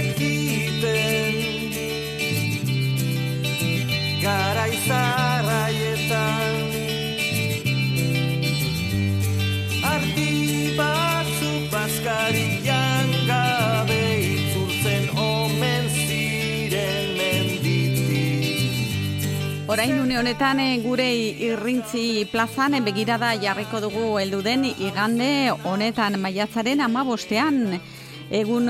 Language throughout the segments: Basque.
egiten garaizarraietan ardi batzuk bazkarian gabe itzultzen omen ziren menditik. Orain une honetan gure Irrintzi plazan begirada jarriko dugu heldu den igande honetan maiatzaren 15ean. Egun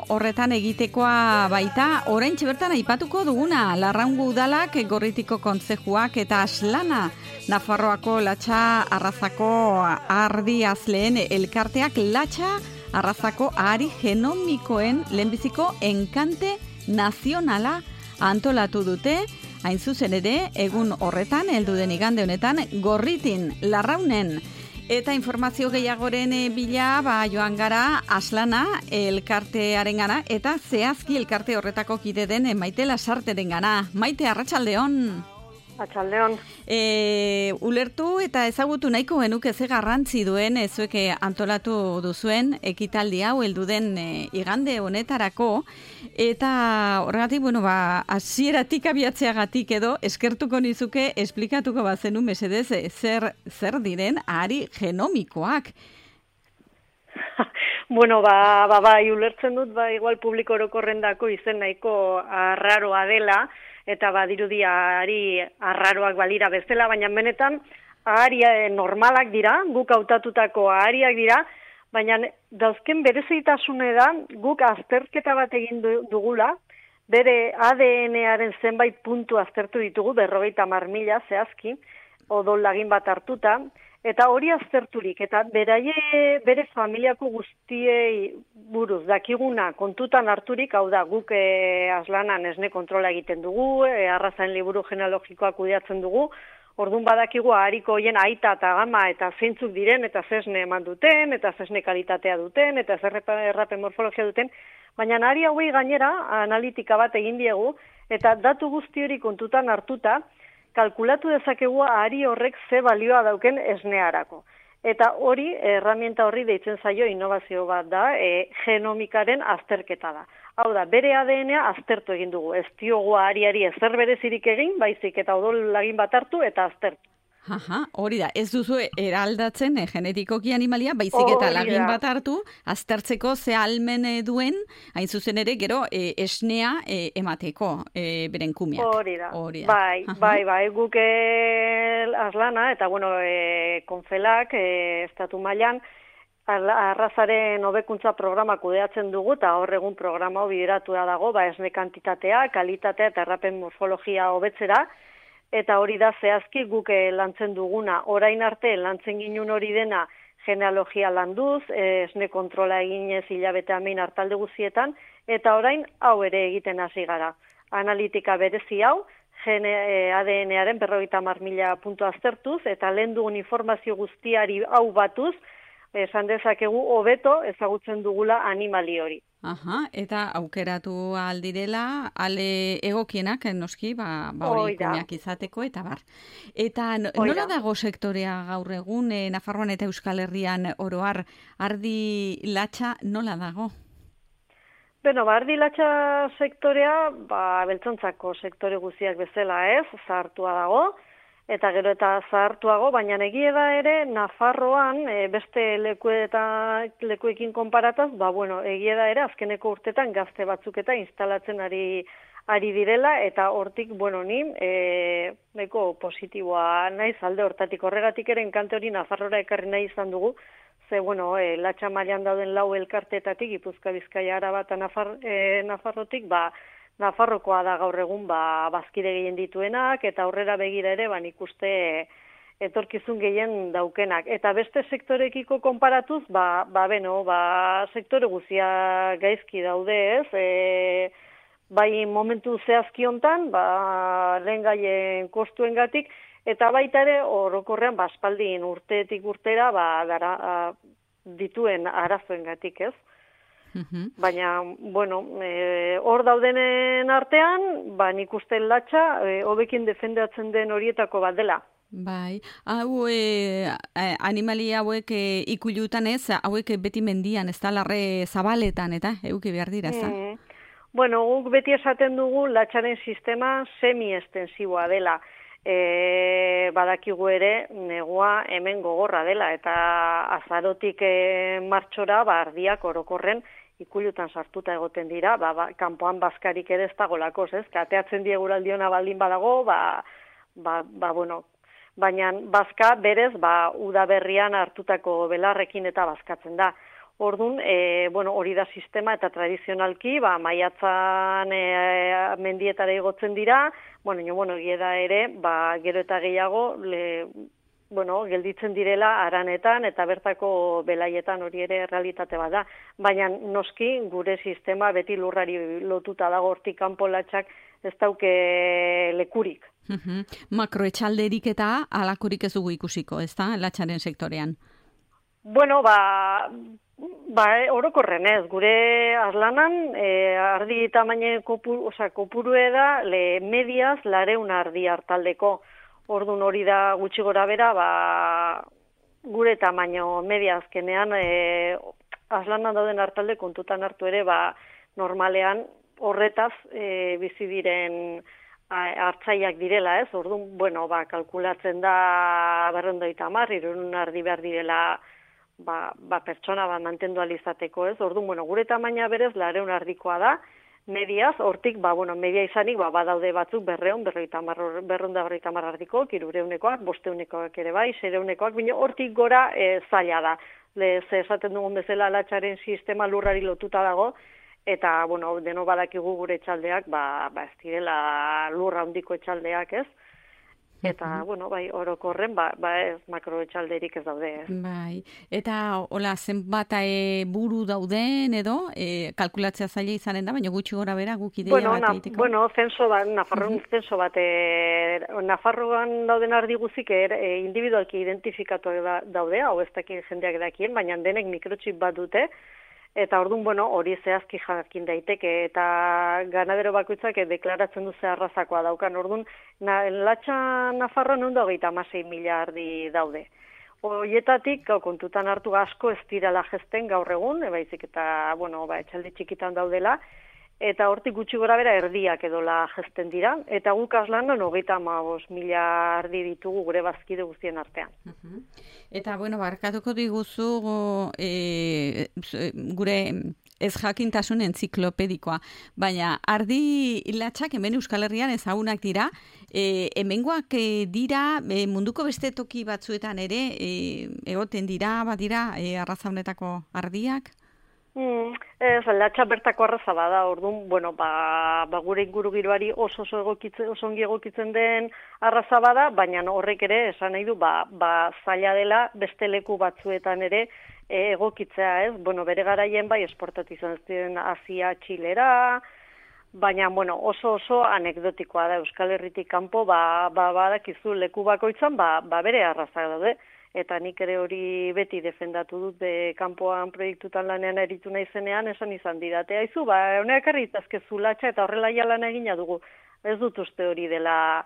horretan egitekoa baita, oraintxe bertan aipatuko duguna, Larraungo udalak, Gorritiko kontzejuak eta Aslana, Nafarroako Latxa Arrazako Ardi Azleen elkarteak Latxa Arrazako ahari genomikoen lehenbiziko enkante nazionala antolatu dute, hain zuzen ere, egun horretan, heldu den igande honetan, Gorritin, Larraunen. Eta informazio gehiagoren bila joan gara Aslana elkartearengana eta zehazki elkarte horretako kide den Maite Lasarterengana. Maite, arratsaldeon. Arratsaldeon. Ulertu eta ezagutu nahiko genuke ze garrantzi duen zuek antolatu duzuen ekitaldi hau heldu den igande honetarako eta horregatik hasieratik abiatzeagatik edo eskertuko nizuke esplikatuko bazenu mesedez zer diren ahari genomikoak. Bai, ulertzen dut, igual publiko orokorrendako izen nahiko arraroa dela, eta badirudi ahari arraroak balira bezala, baina benetan ahari normalak dira, guk hautatutako ahariak dira, baina dauzken berezitasune da, guk azterketa bat egin dugula, bere ADN-aren zenbait puntu aztertu ditugu, 50.000 zehazki, odol lagin bat hartuta, eta hori azterturik, eta bere familiako guztiei buruz dakiguna kontutan harturik, hau da, guk Aslanan esne kontrola egiten dugu, arrazain liburu genealogikoa kudeatzen dugu, orduan badakigu ahariko hoien aita eta gama eta zeintzuk diren, eta zesne eman duten, eta zesne kalitatea duten, eta errapen morfologia duten, baina ahari hauei gainera analitika bat egin diegu, eta datu guzti hori kontutan hartuta, kalkulatu dezakegu ahari horrek ze balioa dauken esnearako. Eta hori, herramienta horri deitzen zaio innovazio bat da, genomikaren azterketa da. Hau da, bere ADN-a aztertu egin dugu. Ez diogu ahariari ezer berezirik egin, baizik eta odol lagin bat hartu eta aztertu. Hori da, ez duzu eraldatzen genetikoki animalia, baizik eta lagin bat hartu, aztertzeko ze ahalmen duen, hain zuzen ere, gero esnea emateko beren kumeak. Hori da. Bai, guk Aslana, eta konfelak, estatu mailan, arrazaren hobekuntza programa kudeatzen dugu, eta hor egun programa bideratua dago, esne kantitatea, kalitatea eta errapen morfologia hobetzera, eta hori da zehazki guk lantzen duguna. Orain arte lantzen ginun hori dena genealogia landuz, esne kontrola eginez hilabete amein hartalde guzietan, eta orain hau ere egiten hasi gara. Analitika berezi hau, ADN-aren 50.000 puntu aztertuz, eta lehen dugun informazio guztiari hau batuz, esan dezakegu hobeto ezagutzen dugula animali hori. Eta aukeratu aldirela, ale egokienak, noski, hori kumeak izateko, eta bar. Eta nola dago sektorea gaur egun, Nafarroan eta Euskal Herrian oroar, ardi latxa nola dago? Ardi latxa sektorea, beltzontzako sektore guztiak bezala zahartua dago, eta gero eta zahartuago, baina egia da ere Nafarroan beste lekuekin konparataz, egia da ere azkeneko urtetan gazte batzuk eta instalatzen ari direla, eta hortik, ni nahiko positiboa naiz alde hortatik. Horregatik ere enkante hori Nafarrora ekarri nahi izan dugu, ze, latxa mailan dauden 4 elkarteetatik, Gipuzkoa, Bizkaia, Araba eta Nafarrotik, Nafarrokoa da gaur egun bazkide gehien dituenak, eta aurrera begira ere nik uste etorkizun gehien daukenak. Eta beste sektorekiko konparatuz, sektore guzia gaizki daude bai momentu zehazki hontan, lehen gaien kostuengatik, eta baita ere orokorrean aspaldin urtetik urtera dituen arazoengatik, ez? Baina, hor daudenen artean, nik uste latxa, hobekin defendatzen den horietako bat dela. Bai, hau animali hauek ikulutan hauek beti mendian, ez da larre zabaletan, eta euki behar dira, ez da? Bueno, guk beti esaten dugu latxaren sistema semi-estensiboa dela. Badakigu ere negua hemen gogorra dela eta azarotik martxora ardiak orokorren ikulutan sartuta egoten dira, kanpoan bazkarik ere ez dago ez? Kateatzen dieguraldiona baldin badago, bueno, baina bazka berez udaberrian hartutako belarrekin eta bazkatzen da. Orduan, bueno, hori da sistema eta tradizionalki, maiatzan mendietara igotzen dira, bueno, da ere, gero eta gehiago, gelditzen direla aranetan eta bertako belaietan hori ere realitate bat da. Baina noski gure sistema beti lurrari lotuta dago hortik kanpo latxak ez dauke lekurik. Makroetxalderik eta halakorik ez dugu ikusiko, ez da, latxaren sektorean? Bueno, orokorren ez, gure azlanan ardi tamaine kopurue da mediaz 200 ardi hartaldeko. Orduan hori da gutxi gora bera, gure tamaino media azkenean azlanan dauden hartalde kontutan hartu ere, normalean horretaz bizi diren hartzaileak direla, ez? Orduan, bueno, kalkulatzen da 250, 300 ardi behar direla pertsona mantendu alizateko, ez? Orduan, bueno, gure tamaina berez 200 ardikoa da, mediaz, hortik, media izanik, badaude batzuk 250 ardiko, 300-ekoak, 500-ekoak ere bai, 600-ekoak, baina hortik gora zaila da. Ze esaten dugun bezala latxaren sistema lurrari lotuta dago, eta, bueno, deno badakigu gure etxaldeak, ez direla lurra handiko etxaldeak, ez? Eta, bueno, orokorren, ez makroetxalderik ez daude, ez? Bai, eta, hola, zenbat buru dauden edo, kalkulatzea zaila izanen da, baina gutxi gora bera guk ideia bat egiteko? Bueno, zenso bat, Nafarroan dauden ardi guzik individualki identifikatu daude, hau ez dakien jendeak dakien, baina denek mikrochip bat dute, eta orduan, bueno, hori zehazki jakin daiteke, eta ganadero bakoitzak deklaratzen du ze arrazakoa daukan. Orduan, latxa Nafarroan 126.000 ardi daude. Horietatik, kontutan hartu asko ez dirala jesten gaur egun, baizik eta, bueno, etxalde txikitan daudela, eta hortik gutxi gora bera erdiak edola jesten dira, eta guk azlanan 35.000 ardi ditugu gure bazkide guztien artean. Eta, bueno, barkatuko diguzu gure ez jakintasun entziklopedikoa, baina ardi latxak hemen Euskal Herrian ezagunak dira, hemengoak dira munduko beste toki batzuetan ere egoten dira, badira arraza honetako ardiak? Latxa bertako arraza bada, orduan, bueno, gure ingurugiroari oso ongi egokitzen den arraza bada, baina horrek ere esan nahi du, zaila dela beste leku batzuetan ere egokitzea, ez? Bueno, bere garaien esportatu izan ziren Asia, Txilera, baina, bueno, oso anekdotikoa da Euskal Herritik kanpo, badakizu leku bakoitzan, bere arraza daude. Eta nik ere hori beti defendatu dut kanpoan proiektutan lanean eritu naizenean esan izan didate. Aizu, honeak arritazkezu latxa eta horrela lan egina dugu. Ez dut uste hori dela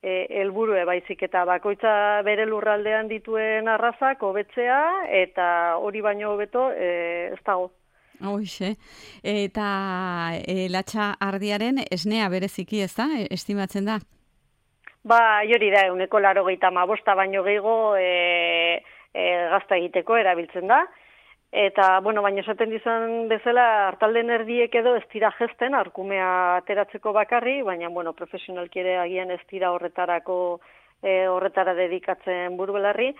helburue baizik eta bakoitza bere lurraldean dituen arrazak hobetzea eta hori baino hobeto ez dago. Hoxe, eta latxa ardiaren esnea bereziki ez da, estimatzen da? Hori da, 185 baino gehiago gazta egiteko erabiltzen da. Eta, bueno, baina esaten dizan bezala, hartalden erdiek edo ez dira jesten, arkumea ateratzeko bakarri, baina, bueno, profesionalki ere agian ez dira horretara dedikatzen burubelarri.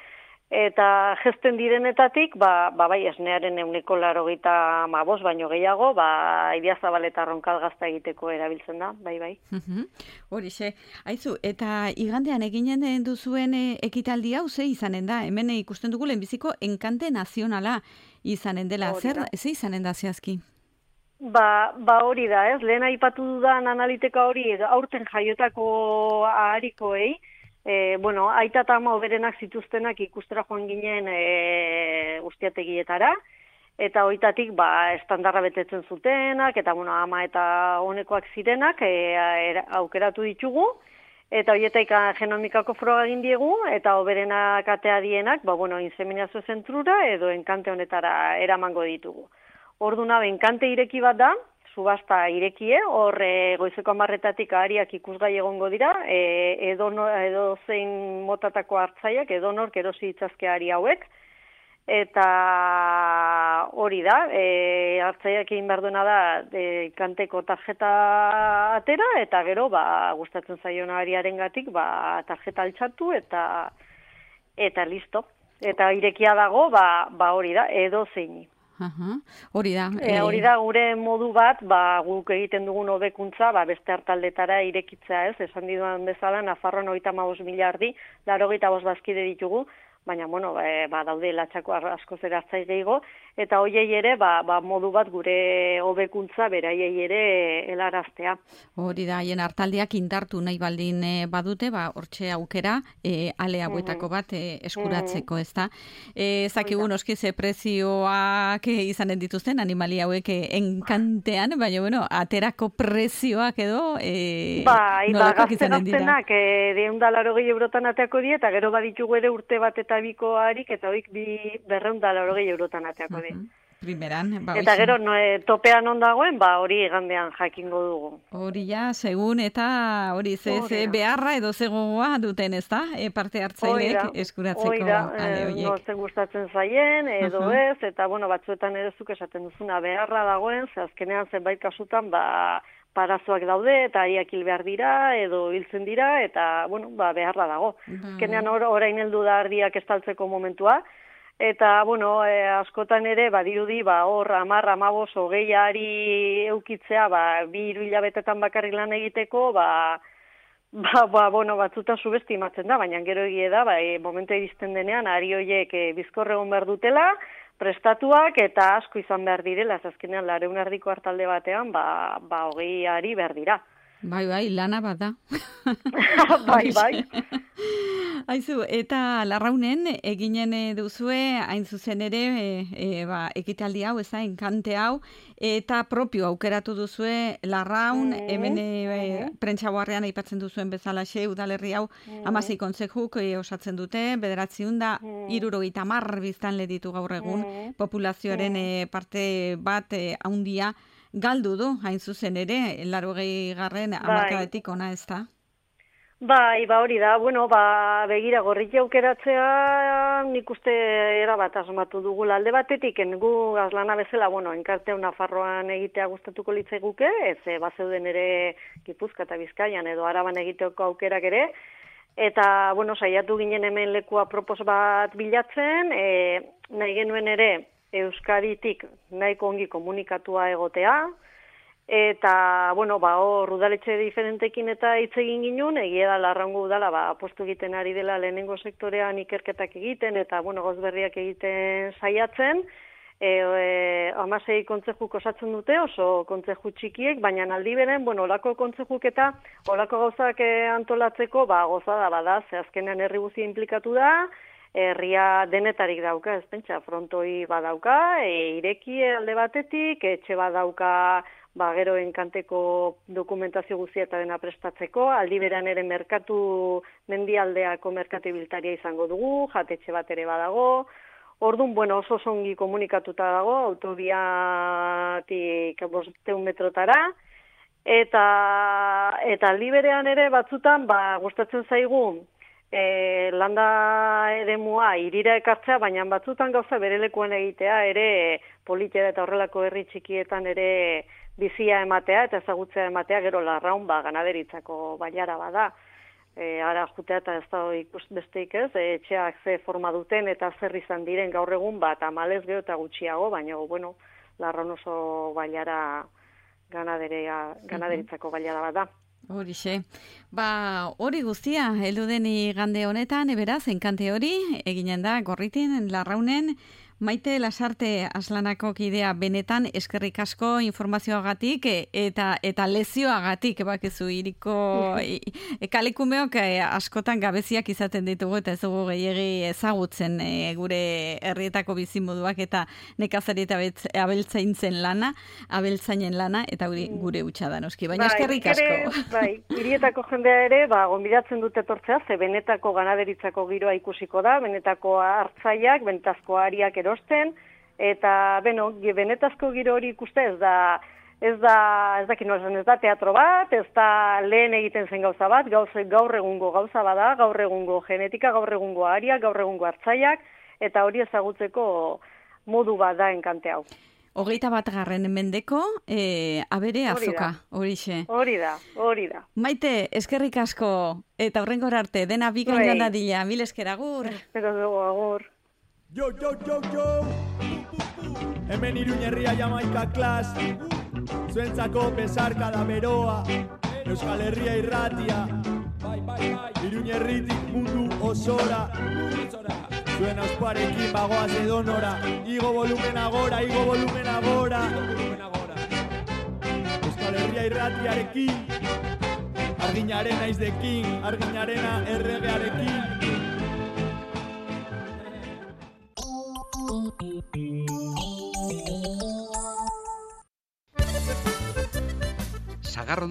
Eta jesten direnetatik, bai, esnearen 185 baino gehiago, Idiazabal eta Ronkal gazta egiteko erabiltzen da, bai. Horixe, aizu, eta igandean eginen duzuen ekitaldi hau ze izanen da? Hemen ikusten dugu lehenbiziko enkante nazionala izanen dela. Ze izanen da zehazki? Hori da, ez? Lehen aipatu dudan analiteka hori, aurten jaiotako aharikoei, bueno, aita eta ama oberenak zituztenak ikustera joan ginen ustiategietara, eta hoitatik estandarra betetzen zutenak, eta bueno, ama eta honekoak zirenak aukeratu ditugu, eta horietaik genomikako froga egin diegu, eta oberenak atea dienak, bueno, inseminazio zentrura edo enkante honetara eramango ditugu. Orduna, enkante ireki bat da, subasta irekie, hor goizeko 10:00 ahariak ikusgai egongo dira, edo zein motatako hartzaiak, edonork erosi ditzazke ahari hauek, eta hori da, hartzaiak egin behar duena da kanteko tarjeta atera, eta gero gustatzen zaion ahariarengatik tarjeta altxatu eta listo. Eta irekia dago, hori da, edo zeini. Hori da. Hori da, gure modu bat, guk egiten dugun hobekuntza, beste hartaldetara irekitzea, ez? Esan diduan bezala, Nafarroan 35.000 ardi, 85 bazkide ditugu, baina, daude latxako askoz ere hartzai gehiago, eta hoiei ere, modu bat gure hobekuntza beraiei ere helaraztea. Hori da, haien hartaldiak indartu nahi baldin badute, hortxe aukera, ale hauetako bat eskuratzeko, ez da. Zakigu noski ze prezioak izanen dituzten, animali hauek enkantean, baina, aterako prezioak edo nolakoak izanen dira? Gaztenak 280 eurotan ateako die, eta gero baditugu ere urte bat eta biko harik, eta hoik 280 eurotan ateako die. Primeran, eta gero topean ondagoen, hori igandean jakingo dugu. Hori ja, segun eta hori ze beharra edo zegoa duten, ez da? Parte hartzaileek eskuratzeko ale horiek. Zer gustatzen zaien, edo ez, eta batzuetan ere zuk esaten duzuna beharra dagoen, ze azkenean zenbait kasutan, parazoak daude, eta ariak hil behar dira, edo hiltzen dira, eta, beharra dago. Azkenean orain heldu da ardiak estaltzeko momentua, eta, askotan ere, dirudi, hor, 10, 15, 20 ari eukitzea, 2-3 hilabetetan bakarrik lan egiteko, batzuta subestimatzen da, baina gero egie da, momentu iristen denean, ari horiek bizkorre egon behar dutela, prestatuak eta asko izan behar direla, azkenean 200 ardiko hartalde batean, 20 ari behar dira. Bai, lana bat da. Bai. Aizu, eta Larraunen eginen duzue, hain zuzen ere, ekitaldi hau, ez da, enkante hau, eta propio aukeratu duzue Larraun, hemen prentsagoarrean aipatzen duzuen bezalaxe, udalerri hau, 16 kontzejuk osatzen dute, 930 biztanle ditu gaur egun, populazioaren parte bat haundia, galdu du, hain zuzen ere, 80. hamarkadatik ona, ez da? Hori da, begira, gorritia aukeratzea nik uste erabat asmatu dugula alde batetik, gu azlana bezala, enkarteu Nafarroan egitea gustatuko litzaiguke, ez bazeuden ere Gipuzkoa eta Bizkaian edo Araban egiteoko aukerak ere, eta, saiatu ginen hemen leku apropos bat bilatzen, nahi genuen ere Euskaditik nahiko ongi komunikatua egotea, eta, hor udaletxe diferentekin eta hitz egin ginen, egia da Larraungo udala, apostu egiten ari dela lehenengo sektorean ikerketak egiten, eta, gauz berriak egiten saiatzen, 16 kontzejuk osatzen dute, oso kontzeju txikiek, baina aldi beren, olako kontzejuk eta olako gauzak antolatzeko, gozada bada, ze azkenean herri guztia inplikatu da, herria denetarik dauka, ez pentsa, frontoi badauka, ireki alde batetik, etxe badauka, gero enkanteko dokumentazio guztia eta dena prestatzeko, aldi beran ere merkatu mendialdeako merkatibiltaria izango dugu, jatetxe bat ere badago, orduan, oso zongi komunikatuta dago, autobiatik 500 metrotara, eta aldi berean ere batzutan, gustatzen zaigu, landa eremua irira ekartzea, baina batzutan gauza berelekuan egitea, ere politera eta horrelako herri txikietan ere bizia ematea eta ezagutzea ematea, gero Larraun ganaderitzako bailara bada. Ara jutea eta ez da ikus besteik ez, etxeak ze forma duten eta zer izan diren gaur egun tamalez gero eta gutxiago, baina, Larraun oso bailara ganaderitzako bailara bada. Horixe. Hori guztia, heldu den igande honetan, beraz, enkante hori, eginen da, Gorritin, Larraunen, Maite Lasarte Aslanako kidea benetan eskerrik asko informazioagatik eta lezioagatik bakizu iriko kalekumeok askotan gabeziak izaten ditugu eta ez dugu gehiegi ezagutzen gure herrietako bizimoduak eta nekazari eta abeltzainen lana eta gure hutsa da noski, baina eskerrik asko. Hirietako jendea ere, gonbidatzen dute etortzea, ze benetako ganaderitzako giroa ikusiko da, benetako hartzaiak, benetazko ariak erosten, eta, benetazko giro hori ikuste ez da ez dakit nola esan, ez da teatro bat, ez da lehen egiten zen gauza bat, gaur egungo gauza bada, gaur egungo genetika, gaur egungo aria, gaur egungo hartzaiak, eta hori ezagutzeko modu bat da enkante hau. 21. mendeko, abere azoka, horixe. Hori da. Maite, eskerrik asko, eta horrengora arte, dena bikain joan dadila, mil esker, agur. Espero dugu, agur. Jo! Hemen Iruñerria Jamaika klas, zuentzako besarka da beroa, Euskal Herria irratia, Iruñerritik mundu osora, zuen auspuarekin bagoaz edonora, igo volumena gora, Euskal Herria irratiarekin, arginaren naizdekin, arginarena erregearekin. Sagarron